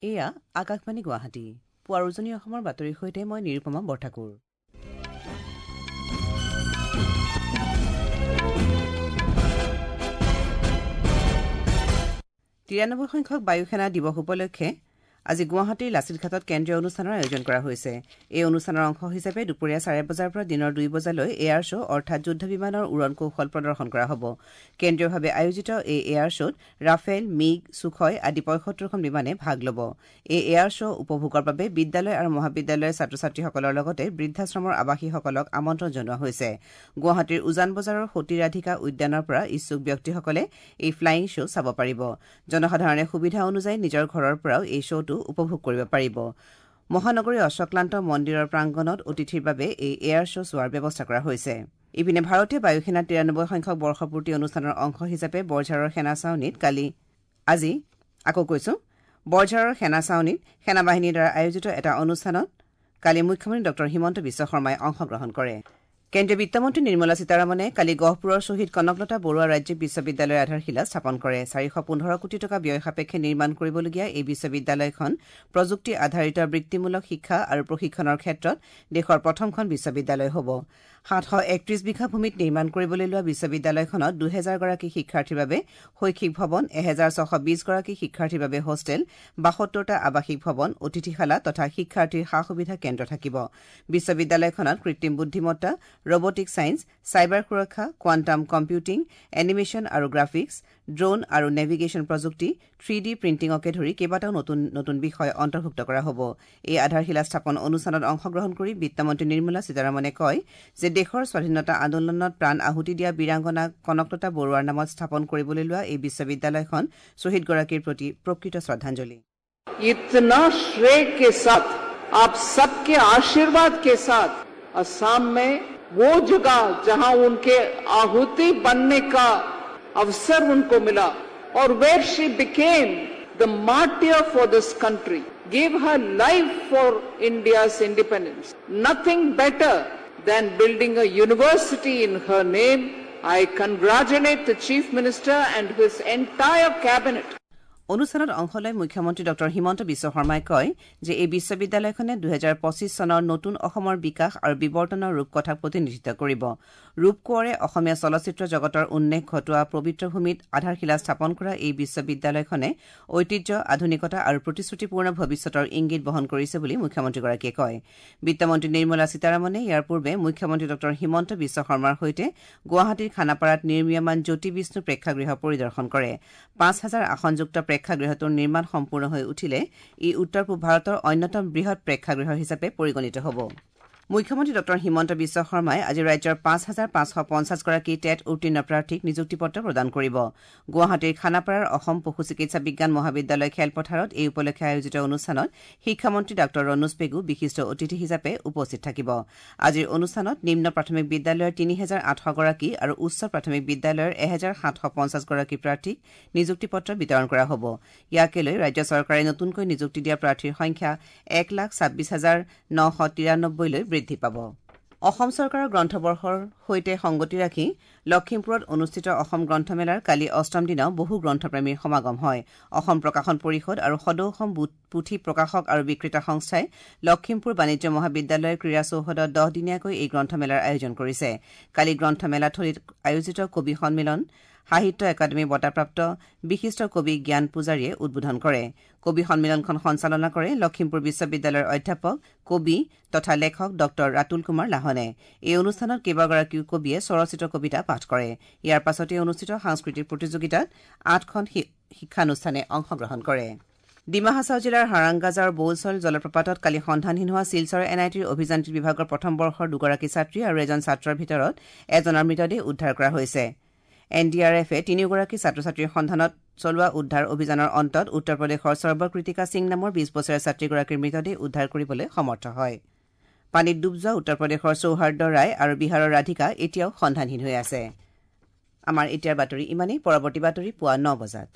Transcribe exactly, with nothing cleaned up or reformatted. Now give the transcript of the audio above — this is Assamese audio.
এয়া আকাশবাণী গুৱাহাটী। পুৱাৰ উজনি অসমৰ বাতৰিৰ সৈতে মই নিৰুপমা বৰঠাকুৰ। তিৰানব্বৈ সংখ্যক বায়ুসেনা দিৱস উপলক্ষে আজি গুৱাহাটীৰ লাচিতঘাটত কেন্দ্ৰীয় অনুষ্ঠানৰ আয়োজন কৰা হৈছে। এই অনুষ্ঠানৰ অংশ হিচাপে দুপৰীয়া চাৰে বজাৰ পৰা দিনৰ দুই বজালৈ এয়াৰ শ্ব' অৰ্থাৎ যুদ্ধ বিমানৰ উৰণ কৌশল প্ৰদৰ্শন কৰা হ'ব। কেন্দ্ৰীয়ভাৱে আয়োজিত এই এয়াৰ শ্ব'ত ৰাফেল, মিগ, ছুখয় আদি পঁয়সত্তৰখন বিমানে ভাগ ল'ব। এই এয়াৰ শ্ব' উপভোগৰ বাবে বিদ্যালয় আৰু মহাবিদ্যালয়ৰ ছাত্ৰ ছাত্ৰীসকলৰ লগতে বৃদ্ধাশ্ৰমৰ আৱাসীসকলক আমন্ত্ৰণ জনোৱা হৈছে। গুৱাহাটীৰ উজান বজাৰৰ সতী ৰাধিকা উদ্যানৰ পৰা ইচ্ছুক ব্যক্তিসকলে এই ফ্লাইং শ্ব' চাব পাৰিব। জনসাধাৰণে সুবিধা অনুযায়ী নিজৰ ঘৰৰ পৰাও এই শ্ব'টো উপভোগ কৰিব পাৰিব। মহানগৰীৰ অশ্বক্লান্ত মন্দিৰৰ প্ৰাংগণত অতিথিৰ বাবে এই এয়াৰ শ্ব' চোৱাৰ ব্যৱস্থা কৰা হৈছে। ইপিনে ভাৰতীয় বায়ুসেনাৰ তিৰানব্বৈ সংখ্যক বৰ্ষপূৰ্তি অনুষ্ঠানৰ অংশ হিচাপে বৰঝাৰৰ সেনা ছাউনীত কালি আজি আকৌ কৈছো বৰঝাৰৰ সেনা ছাউনীত সেনাবাহিনীৰ দ্বাৰা আয়োজিত এটা অনুষ্ঠানত কালি মুখ্যমন্ত্ৰী ডক্টৰ হিমন্ত বিশ্ব শৰ্মাই অংশগ্ৰহণ কৰে। কেন্দ্ৰীয় বিত্তমন্ত্ৰী নিৰ্মলা সীতাৰমণে কালি গহপুৰৰ শ্বহীদ কনকলতা বৰুৱা ৰাজ্যিক বিশ্ববিদ্যালয়ৰ আধাৰশিলা স্থাপন কৰে। চাৰিশ পোন্ধৰ কোটি টকা ব্যয় সাপেক্ষে নিৰ্মাণ কৰিবলগীয়া এই বিশ্ববিদ্যালয়খন প্ৰযুক্তি আধাৰিত বৃত্তিমূলক শিক্ষা আৰু প্ৰশিক্ষণৰ ক্ষেত্ৰত দেশৰ প্ৰথমখন বিশ্ববিদ্যালয় হ'ব। সাতশ একত্ৰিশ বিঘা ভূমিত নিৰ্মাণ কৰিবলৈ লোৱা বিশ্ববিদ্যালয়খনত দুহেজাৰগৰাকী শিক্ষাৰ্থীৰ বাবে শৈক্ষিক ভৱন, এহেজাৰ ছশ বিশগৰাকী শিক্ষাৰ্থীৰ বাবে হোষ্টেল, বাসত্তৰটা আৱাসিক ভৱন, অতিথিশালা তথা শিক্ষাৰ্থীৰ সা সুবিধা কেন্দ্ৰ থাকিব। বিশ্ববিদ্যালয়খনত কৃত্ৰিম বুদ্ধিমত্তা, ৰবটিক ছায়েন্স, চাইবাৰ সুৰক্ষা, কোৱাণ্টাম কম্পিউটিং, এনিমেশ্যন আৰু গ্ৰাফিক্স, ড্ৰোন আৰু নেভিগেশ্যন প্ৰযুক্তি, থ্ৰী ডি প্ৰিণ্টিঙকে ধৰি কেইবাটাও নতুন নতুন বিষয় অন্তৰ্ভুক্ত কৰা হ'ব। এই আধাৰশিলা স্থাপন অনুষ্ঠানত অংশগ্ৰহণ কৰি বিত্তমন্ত্ৰী নিৰ্মলা সীতাৰমণে কয় যে দেশৰ স্বাধীনতা আন্দোলনত প্ৰাণ আহুতি দিয়া বীৰাংগনা কনকলতা বৰুৱাৰ নামত স্থাপন কৰিবলৈ লোৱা এই বিশ্ববিদ্যালয়খন শ্বহীদগৰাকীৰ প্ৰতি প্ৰকৃত শ্ৰদ্ধাঞ্জলি। इतना श्रेय के साथ आप सबके आशीर्वाद के साथ असम में वो जगह जहां उनके आहुति बनने का अवसर उनको मिला और where she became the martyr for this country, gave her life for India's independence. Nothing better than building a university in her name. I congratulate the Chief Minister and his entire cabinet. অনুষ্ঠানত অংশ লৈ মুখ্যমন্ত্ৰী ডক্টৰ হিমন্ত বিশ্ব শৰ্মাই কয় যে এই বিশ্ববিদ্যালয়খনে দুহেজাৰ পঁচিছ চনৰ নতুন অসমৰ বিকাশ আৰু বিৱৰ্তনৰ ৰূপকথাক প্ৰতিনিধিত্ব কৰিব। ৰূপকোঁৱৰে অসমীয়া চলচ্চিত্ৰ জগতৰ উন্মেষ ঘটোৱা পবিত্ৰ ভূমিত আধাৰশিলা স্থাপন কৰা এই বিশ্ববিদ্যালয়খনে ঐতিহ্য, আধুনিকতা আৰু প্ৰতিশ্ৰুতিপূৰ্ণ ভৱিষ্যতৰ ইংগিত বহন কৰিছে বুলি মুখ্যমন্ত্ৰীগৰাকীয়ে কয়। বিত্তমন্ত্ৰী নিৰ্মলা সীতাৰমণে ইয়াৰ পূৰ্বে মুখ্যমন্ত্ৰী ডক্টৰ হিমন্ত বিশ্ব শৰ্মাৰ সৈতে গুৱাহাটীৰ খানাপাৰাত নিৰ্মীয়মান জ্যোতি বিষ্ণু প্ৰেক্ষাগৃহ পৰিদৰ্শন কৰে। পাঁচ হাজাৰ আসনযুক্ত প্ৰেক্ষাগৃহটোৰ নিৰ্মাণ সম্পূৰ্ণ হৈ উঠিলে ই উত্তৰ পূব ভাৰতৰ অন্যতম বৃহৎ প্ৰেক্ষাগৃহ হিচাপে পৰিগণিত হ'ব। মুখ্যমন্ত্ৰী ডক্টৰ হিমন্ত বিশ্ব শৰ্মাই আজি ৰাজ্যৰ পাঁচ হাজাৰ পাঁচশ পঞ্চাছগৰাকী টেট উত্তীৰ্ণ প্ৰাৰ্থীক নিযুক্তি পত্ৰ প্ৰদান কৰিব। গুৱাহাটীৰ খানাপাৰাৰ অসম পশু চিকিৎসা বিজ্ঞান মহাবিদ্যালয় খেলপথাৰত এই উপলক্ষে আয়োজিত অনুষ্ঠানত শিক্ষামন্ত্ৰী ডাঃ ৰণোজ পেগু বিশিষ্ট অতিথি হিচাপে উপস্থিত থাকিব। আজিৰ অনুষ্ঠানত নিম্ন প্ৰাথমিক বিদ্যালয়ৰ তিনি হেজাৰ আঠশগৰাকী আৰু উচ্চ প্ৰাথমিক বিদ্যালয়ৰ এহেজাৰ সাতশ পঞ্চাছগৰাকী প্ৰাৰ্থীক নিযুক্তি পত্ৰ বিতৰণ কৰা হ'ব। ইয়াকে লৈ ৰাজ্য চৰকাৰে নতুনকৈ নিযুক্তি দিয়া প্ৰাৰ্থীৰ সংখ্যা এক লাখ ছাব্বিছ হাজাৰ নশ তিৰানব্বৈলৈ বৃদ্ধি পাব। অসম চৰকাৰৰ গ্ৰন্থবৰ্ষৰ সৈতে সংগতি ৰাখি লখিমপুৰত অনুষ্ঠিত অসম গ্ৰন্থমেলাৰ কালি অষ্টম দিনাও বহু গ্ৰন্থপ্ৰেমীৰ সমাগম হয়। অসম প্ৰকাশন পৰিষদ আৰু সদৌ অসম পুথি প্ৰকাশক আৰু বিক্ৰেতা সংস্থাই লখিমপুৰ বাণিজ্য মহাবিদ্যালয়ৰ ক্ৰীড়া চৌহদত দহদিনীয়াকৈ এই গ্ৰন্থমেলাৰ আয়োজন কৰিছে। কালি গ্ৰন্থমেলাথলীত আয়োজিত কবি সন্মিলন সাহিত্য একাডেমী বঁটাপ্ৰাপ্ত বিশিষ্ট কবি জ্ঞান পূজাৰীয়ে উদ্বোধন কৰে। কবি সন্মিলনখন সঞ্চালনা কৰে লখিমপুৰ বিশ্ববিদ্যালয়ৰ অধ্যাপক, কবি তথা লেখক ডক্টৰ ৰাতুল কুমাৰ লাহনে। এই অনুষ্ঠানত কেইবাগৰাকীও কবিয়ে স্বৰচিত কবিতা পাঠ কৰে। ইয়াৰ পাছতে অনুষ্ঠিত সাংস্কৃতিক প্ৰতিযোগিতাত আঠখন শিক্ষানুষ্ঠানে অংশগ্ৰহণ কৰে। ডিমা হাছাও জিলাৰ হাৰাংগাজাৰৰ বৌলচল জলপ্ৰপাতত কালি সন্ধানহীন হোৱা শিলচৰ এন আই টিৰ অভিযান্ত্ৰিক বিভাগৰ প্ৰথম বৰ্ষৰ দুগৰাকী ছাত্ৰী আৰু এজন ছাত্ৰৰ ভিতৰত এজনৰ মৃতদেহ উদ্ধাৰ কৰা হৈছে। এন ডি আৰ এফে তিনিওগৰাকী ছাত্ৰ ছাত্ৰীৰ সন্ধানত চলোৱা উদ্ধাৰ অভিযানৰ অন্তত উত্তৰ প্ৰদেশৰ সৰ্বকৃতিকা সিং নামৰ বিশ বছৰীয়া ছাত্ৰীগৰাকীৰ মৃতদেহ উদ্ধাৰ কৰিবলৈ সমৰ্থ হয়। পানীত ডুব যোৱা উত্তৰ প্ৰদেশৰ সৌহাৰ্দ্য ৰায় আৰু বিহাৰৰ ৰাধিকা এতিয়াও সন্ধানহীন হৈ আছে। আমাৰ এতিয়াৰ বাতৰি ইমানেই। পৰৱৰ্তী বাতৰি পুৱা ন বজাত।